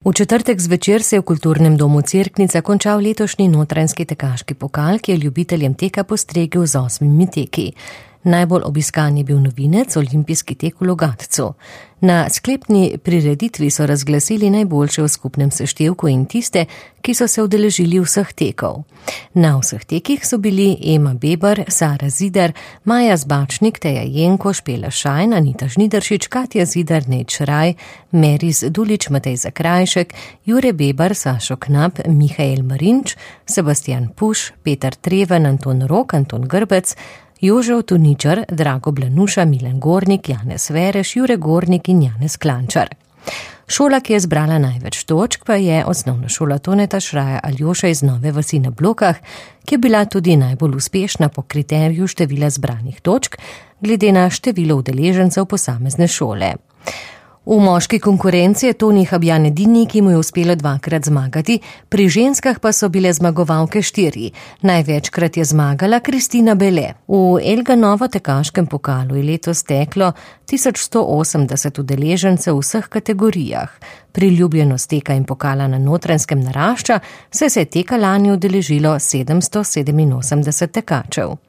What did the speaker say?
V četrtek zvečer se je v kulturnem domu Cerknica končal letošnji notranjski tekaški pokal, ki je ljubiteljem teka postregel z 8 teki. Najbolj obiskan je bil novinec olimpijski tek v Logatcu. Na sklepni prireditvi so razglasili najboljše v skupnem seštevku in tiste, ki so se udeležili vseh tekov. Na vseh tekih so bili Ema Bebar, Sara Zidar, Maja Zbačnik, Teja Jenko, Špela Šajn, Anita Žnidaršič, Katja Zidar, Nejc Šraj, Meris Dulič, Matej Zakrajšek, Jure Bebar, Sašo Knap, Mihael Marinč, Sebastian Puš, Peter Treven, Anton Rok, Anton Grbec, Jožev Tuničar, Drago Blanuša, Milan Gornik, Janez Vereš, Jure Gornik in Janez Klančar. Šola, ki je zbrala največ točk, pa je osnovna šola Toneta Šraja Aljoša iz Nove vasi na Blokah, ki je bila tudi najbolj uspešna po kriteriju števila zbranih točk, glede na število udeležencev posamezne šole. V moški konkurenci je Toni Habjan edini, ki mu je uspelo 2krat zmagati, pri ženskah pa so bile zmagovalke 4. Največkrat je zmagala Kristina Bele. V Elganovo tekaškem pokalu je letos teklo 1180 udeležencev v vseh kategorijah. Priljubljenost teka in pokala na Notranjskem narašča, saj se je teka lani udeležilo 787 tekačev.